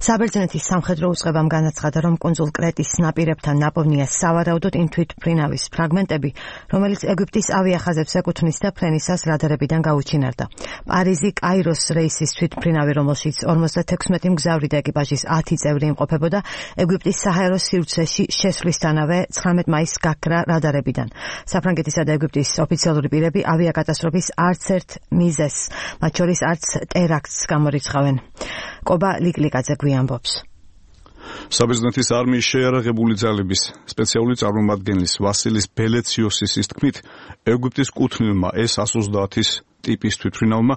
საბერძნეთის სამხედრო უწყებამ განაცხადა, რომ კუნძულ კრეტის ნაპირებთან ნაპოვნია სავარაუდოდ იმ თვითმფრინავის ფრაგმენტები, რომელიც ეგვიპტის ავიახაზებს ეკუთვნის და ფრენისას რადარებიდან გაუჩინარდა. პარიზი კაიროს რეისის თვითმფრინავი, რომელშიც 56 მგზავრი და ეკიპაჟის 10 წევრი იმყოფებოდა, ეგვიპტის საჰაერო სივრცეში შესვლისთანავე 19 მაისს გაქრა რადარებიდან. საფრანგეთისა და ეგვიპტის ოფიციალური პირები ავიაკატასტროფის არც ერთ მიზეზს, მათ შორის არც ტერაქტს გამორიცხავენ. კობა ლიკლიკაძე გვიანბობს. საბერძნეთის არმიის შეიარაღებული ძალების სპეციალური წარმომადგენლის ვასილის ბელეციოსის თქმით, ეგვიპტის კუთვნილმა S-130-ის ტიპის თვითმფრინავმა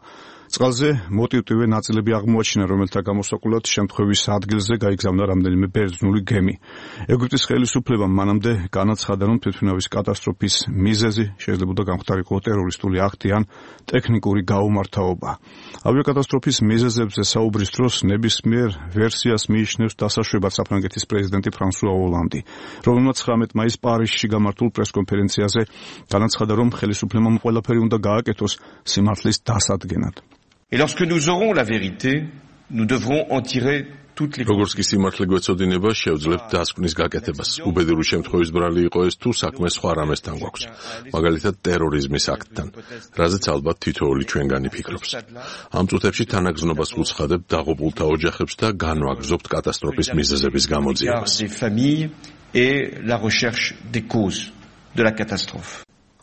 წყალზე მოტივტივე ნაწილები აღმოაჩინა, რომელთა გამოსაკვლად შემთხვევის ადგილზე გაიგზავნა რამდენიმე ბერძნული გემი. ეგვიპტის ხელისუფლებამ მანამდე განაცხადა, რომ თვითმფრინავის კატასტროფის მიზეზი შეიძლება გამხდარიყო ტერორისტული აქტი ან ტექნიკური გაუმართავობა. ავიაკატასტროფის მიზეზებზე საუბრის დროს ნებისმიერ ვერსიას მიიჩნევს დასაშვებად საფრანგეთის პრეზიდენტი ფრანსუა ოლანდი, რომელმაც 19 მაისს პარიზში გამართულ პრესკონფერენციაზე განაცხადა, რომ ხელისუფლებამ ყველაფერი უნდა გააკეთოს სიმართლის დასადგენად. Et lorsque nous aurons la vérité, nous devrons en tirer toutes les როგორც კი სიმართლე გვეცოდინება, შევძლებთ დასკვნის გაკეთებას. უბედური შემთხვევის ბრალი იყო ეს თუ საქმე სხვა რამესთან გვაქვს, მაგალითად ტერორიზმის აქტთან, რაზეც ალბათ თითოეული ჩვენგანი ფიქრობს. ამ წუთებში თანაგზნობას ვუცხადებ დაღუპულთა ოჯახებს და განვაგრძობთ კატასტროფის მიზეზების გამოძიებას.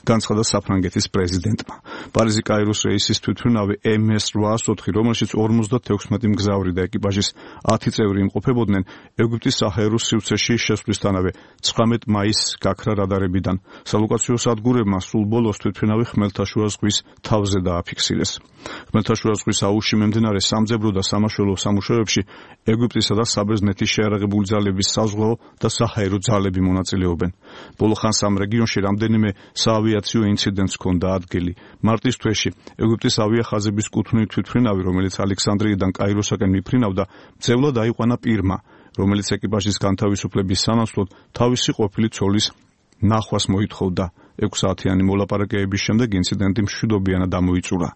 განცხადა საფრანგეთის პრეზიდენტმა. პარიზი კაიროს რეისის თვითმფრინავი MS-804, რომელშიც 56 მგზავრი და ეკიპაჟის 10 წევრი იმყოფებოდნენ, ეგვიპტის საჰაერო სივრცეში შესვლისთანავე 19 მაისს გაქრა რადარებიდან. სალოკაციო სადგურებმა სულ ბოლოს თვითმფრინავი ხმელთაშუა ზღვის თავზე დააფიქსირეს. ხმელთაშუა ზღვის აუზში მიმდინარე სამძებრო და სამაშველო სამუშაოებში ეგვიპტისა და საბერძნეთის შეიარაღებული ძალების საზღვაო და საჰაერო ძალები მონაწილეობენ. ბოლო ხანს ამ რეგიონში რამდენიმე საავიაციო ინციდენტს ჰქონდა ადგილი. მარტის თვეში ეგვიპტის ავიახაზების კუთვნილი თვითმფრინავი, რომელიც ალექსანდრიიდან კაიროსაკენ მიფრინავდა, მძევლად აიყვანა პირმა, რომელიც ეკიპაჟის განთავისუფლების სანაცვლოდ თავისი ყოფილი ცოლის ნახვას მოითხოვდა. 6 საათიანი მოლაპარაკებების შემდეგ ინციდენტი მშვიდობიანად დამოიწურა.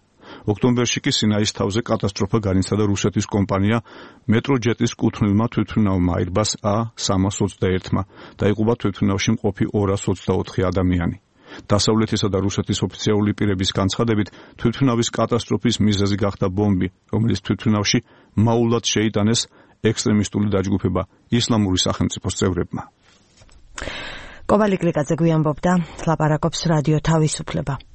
ოქტომბერში კი სინაის თავზე კატასტროფა განიცადა რუსეთის კომპანია მეტროჯეტის კუთვნილმა თვითმფრინავმა Airbus A321-მა. დაიღუპა თვითმფრინავში მყოფი 224 ადამიანი. დასავლეთისა და რუსეთის ოფიციალური პირების განცხადებით, თვითმფრინავის კატასტროფის მიზეზი გახდა ბომბი, რომელიც თვითმფრინავში მაულად შეიტანეს ექსტრემისტული დაჯგუფება ისლამური სახელმწიფოს წევრებმა. კობა ლიკლიკაძე გვიანბობდა, ლაპარაკობს რადიო თავისუფლება.